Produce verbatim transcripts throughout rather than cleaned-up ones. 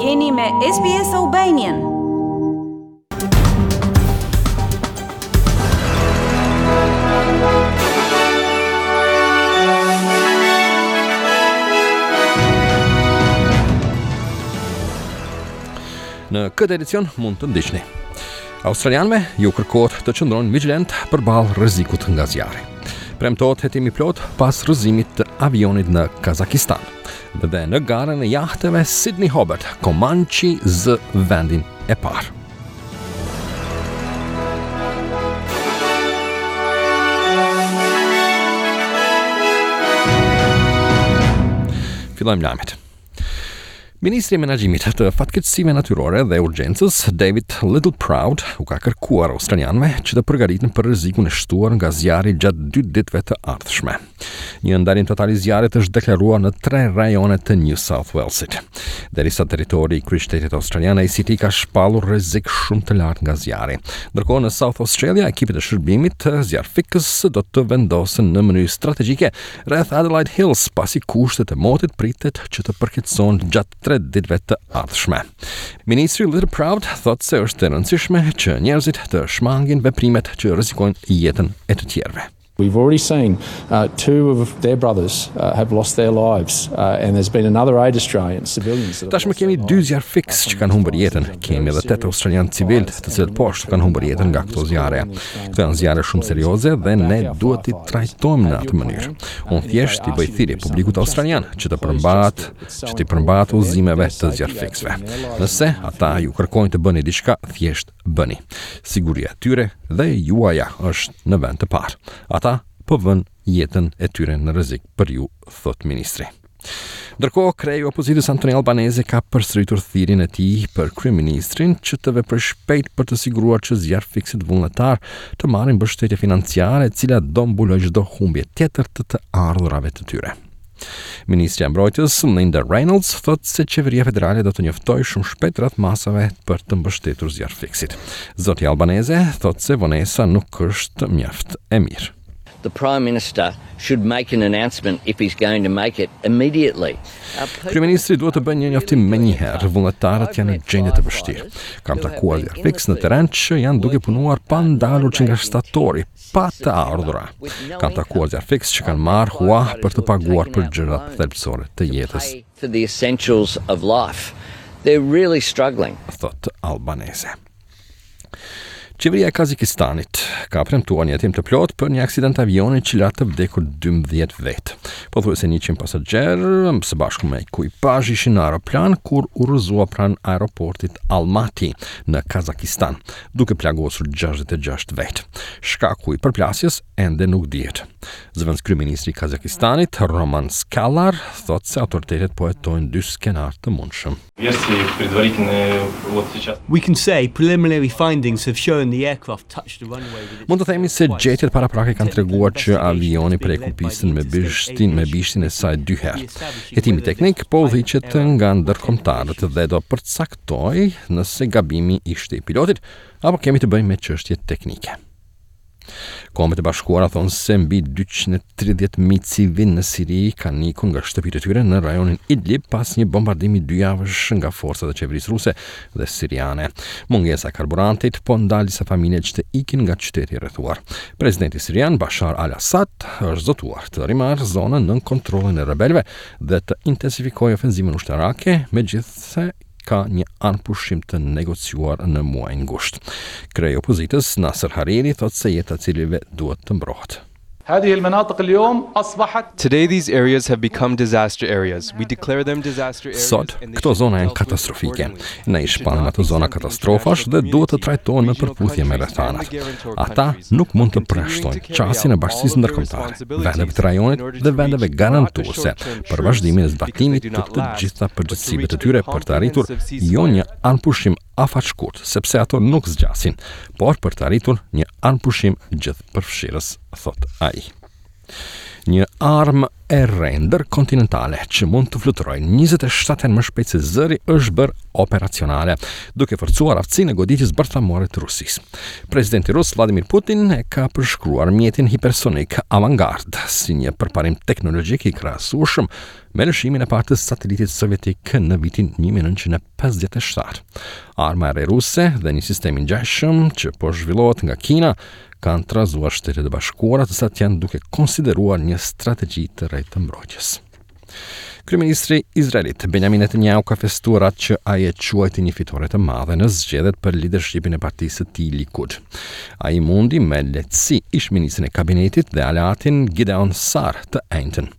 Jeni me S B S Albanian. Në këtë edicion mund të ndiqni: Australianëve ju kërkohet të qëndrojnë vigjilent përballë rrezikut nga zjarri. Premtohet hetim i plot pas rrëzimit të avionit në Kazakistan. Dhe në garën e jahteve Sydney Hobart, Comanche zë vendin e parë. Fillojmë lajmet. Ministri i Menaxhimit të Fatkeqësive Natyrore dhe Urgjencës, David Littleproud, u ka kërkuar australianëve që të përgatiten për rrezikun e shtuar nga zjarri gjatë dy ditëve të ardhshme. Një ndalim total i zjarrit është deklaruar në tre rajone të New South Walesit. Derisa territori i kryeqytetit australian A C T ka shpallur rrezik shumë të lartë nga zjarri. Ndërkohë, në South Australia, ekipet e shërbimit zjarrfikës do të vendosen në mënyrë strategjike rreth Adelaide Hills, pasi kushtet e motit pritet që të përkeqësohen gjatë tre ditëve të ardhshme. Ministri Littleproud thotë se është e rëndësishme që njerëzit të shmangin veprimet që rrezikojnë jetën e të tjerëve. We've already seen uh, two of their brothers uh, have lost their lives, uh, and there's been another eight Australian civilians. Tashmë kemi dy zjarrfikës që kanë humbur jetën. Kemi edhe tetë australian civil, të cilët po ashtu kanë humbur jetën nga këto zjarre. Këto janë zjarre shumë serioze dhe ne duhet t'i trajtojmë në atë mënyrë. Unë thjesht i bëj thirrje publikut australian që të përmbahet, që t'i përmbahet udhëzimeve të zjarrfikësve. Nëse ata ju kërkojnë të bëni diçka, thjesht bëni. Siguria e tyre dhe juaja është në vend të parë. Ata po vën jetën e tyre në rrezik për ju, thot ministri. Ndërkohë, kreu i opozitës Anthony Albanese ka përsëritur thirrjen e tij për kryeministrin që të veprojë shpejt për të siguruar që zjarrfikësit vullnetar të marrin mbështetje financiare, e cila do mbulojë çdo humbje tjetër të të ardhurave të tyre. Ministrja e Mbrojtjes Linda Reynolds thotë se qeveria federale do të njoftojë shumë shpejt rreth masave për të mbështetur zjarrfikësit. Zoti Albanese thotë se vonesa nuk është mjaft e mirë. The Prime Minister should make an announcement, if he's going to make it, immediately. Kryeministri duhet të bëjë një njoftim më njëherë. Vullnetarët janë në gjendje të vështirë. Kam takuar zjarrfikës në terren që janë duke punuar pa ndalur që nga shtatori, pa të ardhura. Kam takuar zjarrfikës që kanë marrë hua për të paguar për gjërat thelbësore të jetës. For the essentials of life. They're really struggling. Thot Albanese. Qeveria e Kazakistanit ka premtuar një hetim të plot për një aksident avioni që la të vdekur dymbëdhjetë vetë. Pothuajse njëqind pasagjerë së bashku me ekuipazh ishin në aeroplan kur u rrëzua pranë aeroportit Almaty në Kazakistan, duke plagosur gjashtëdhjetë e gjashtë vetë. Shkaku i përplasjes ende nuk dihet. Zëvendëskryeministri i Kazakistanit, Roman Skalar, thotë se autoritetet po hetojnë dy skenar të mundshëm. We can say preliminary findings have shown the aircraft touched the runway with its Mund të themi se gjetjet paraprake kanë treguar që avioni preku pistën me bishtin me bishtin e saj dy herë. Hetimi teknik po udhëhiqet nga ndërkombëtarët dhe do përcaktojë nëse gabimi ishte i pilotit apo kemi të bëjmë me çështje teknike. Kombet e Bashkuara thonë se mbi dyqind e tridhjetë mijë civil në Siri kanë ikur nga shtëpitë e tyre në rajonin Idlib pas një bombardimi dy javësh nga forcat e qeverisë ruse dhe siriane. Mungesa e karburantit po ndal disa familje që të ikin nga qyteti i rrethuar. Presidenti sirian Bashar al-Assad është zotuar të rimarrë zonën nën kontrollin e rebelëve dhe të intensifikojë ofenzivën ushtarake, megjithëse ka një armëpushim të negociuar në muajin gusht. Kreu i opozitës Nasser Hariri thotë se jeta e civilëve duhet të mbrohet. هذه المناطق اليوم أصبحت Today these areas have become disaster areas. We declare them disaster areas. Sot, këto zona janë katastrofike. Ne i shpallim ato zona katastrofash dhe duhet të trajtohen në përputhje me rrethanat. Ata nuk mund të përjashtojnë qasjen e bashkësisë ndërkombëtare, vendeve të rajonit dhe vendeve garantuese për vazhdimin e zbatimit të të gjitha përgjegjësive të tyre për të arritur jo një armëpushim afatshkurt, sepse ato nuk zgjasin, por për të arritur një armëpushim gjithëpërfshirës, thot ai. Një armë e re ndërkontinentale që mund të fluturojë njëzet e shtatë herë më shpejt se zëri është bërë operacionale, duke forcuar aftësinë e goditjes bërthamore të Rusisë. Presidenti rus Vladimir Putin e ka përshkruar mjetin hipersonik Avangard si një përparim teknologjik i krahasueshëm me lëshimin e parë të satelitit sovjetik në vitin një mijë e nëntëqind e pesëdhjetë e shtatë. Arma e re ruse dhe një sistem i ngjashëm që po zhvillohet nga Kina kanë trazuar Shtetet e Bashkuara, të cilat janë duke konsideruar një strategji të re të mbrojtjes. Kryeministri izraelit Benjamin Netanyahu ka festuar atë që ai e quajti një fitore të madhe në zgjedhjet për leadershipin e partisë së tij Likud. Ai mundi me lehtësi ish-ministrin e kabinetit dhe aleatin Gideon Sar të enjten.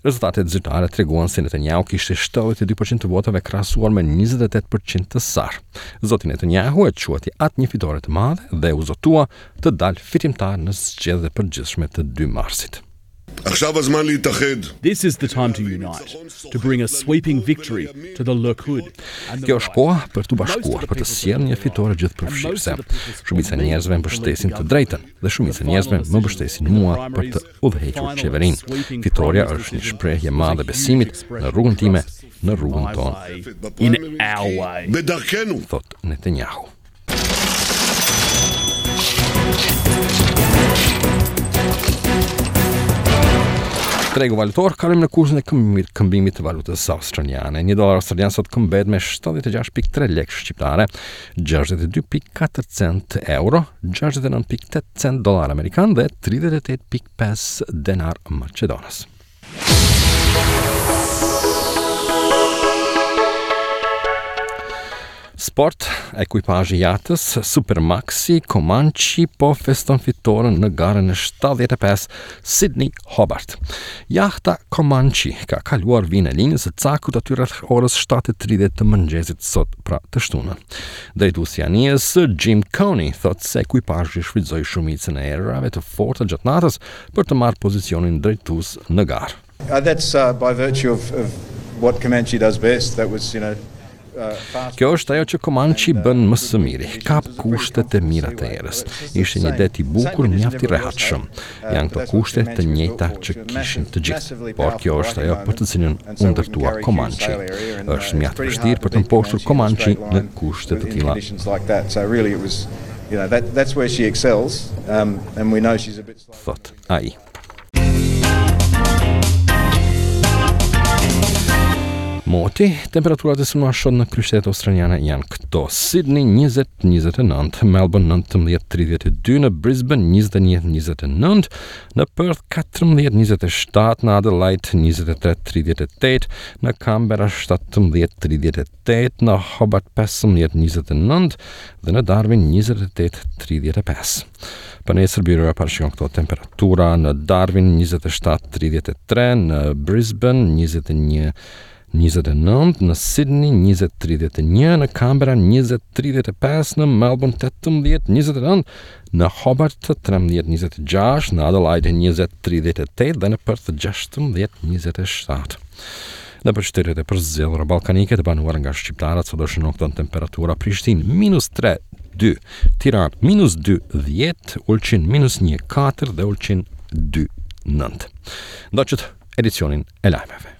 Rezultatet zyrtare treguan se Netanyahu kishte shtatëdhjetë e dy përqind të votave krahasuar me njëzet e tetë përqind të Sar. Zoti Netanyahu e quajti atë një fitore të madhe dhe u zotua të dalë fitimtar në zgjedhjet e përgjithshme të dy marsit. This is the time to unite, to bring a sweeping victory to the Likud. Kjo është koha për t'u bashkuar, për të sjellë një fitore gjithëpërfshirëse. Shumica e njerëzve mbështesin të drejtën dhe shumica e njerëzve më mbështesin mua për të udhëhequr qeverinë. Fitoria është një shprehje e madhe e besimit në rrugën time, në rrugën tonë. In our way, thot Netanyahu. Tregu valutor, kalojmë në kursin e këmbimit, këmbimit të valutës australiane. Një dollar australian sot këmbet me shtatëdhjetë e gjashtë pikë tre lekë shqiptare, gjashtëdhjetë e dy pikë katër cent euro, gjashtëdhjetë e nëntë pikë tetë cent dollar amerikan dhe tridhjetë e tetë pikë pesë denar maqedonas. Sport, ekuipazhi i jatës Supermaxi Comanche po feston fitoren në garën e shtatëdhjetë e pesë Sydney Hobart. Jahta Comanche ka kaluar vijën e linjës së cakut aty rreth orës shtatë e tridhjetë të mëngjesit sot, pra të shtunën. Drejtuesi i anijes Jim Coney thotë se ekuipazhi shfrytëzoi shumicën e erërave të forta gjatë natës për të marrë pozicionin drejtues në garë. Uh, that's, uh, by virtue of, of what Comanche does best. That was, you know, Kjo është ajo që Comanche bën më së miri, kap kushtet e mira të erës. Ishte një det i bukur, mjaft i rehatshëm. Janë këto kushte të njëjta që kishin të gjithë, por kjo është ajo për të cilën u ndërtua Comanche. Është mjaft vështirë për të mposhtur Comanche në kushte të tilla. Thot ai. Moti, temperaturat e synuara sot në kryeqytetet australiane janë këto: Sydney njëzet njëzet e nëntë, Melbourne nëntëmbëdhjetë tridhjetë e dy, në Brisbane njëzet e një njëzet e nëntë, në Perth katërmbëdhjetë njëzet e shtatë, në Adelaide njëzet e tre tridhjetë e tetë, në Canberra shtatëmbëdhjetë tridhjetë e tetë, në Hobart pesëmbëdhjetë njëzet e nëntë dhe në Darwin njëzet e tetë tridhjetë e pesë. Për nesër byroja parashikon këto temperatura: në Darwin njëzet e shtatë tridhjetë e tre, në Brisbane njëzet e një njëzet e nëntë, në Sydney njëzet tridhjetë e një, në Canberra njëzet tridhjetë e pesë, në Melbourne tetëmbëdhjetë njëzet e nëntë, në Hobart trembëdhjetë njëzet e gjashtë, në Adelaide njëzet tridhjetë e tetë dhe në Perth gjashtëmbëdhjetë njëzet e shtatë. Në qytetet e përzgjedhura ballkanike të banuara nga shqiptarët sot do shënon këto temperatura: Prishtinë minus tre dy, Tiranë minus dy dhjetë, Ulqin minus një katër dhe Ulqin dy nëntë. Ndoqët edicionin e lajmeve.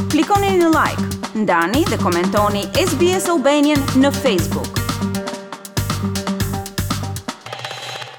Klikoni në like, ndani dhe komentoni S B S Albanian në Facebook.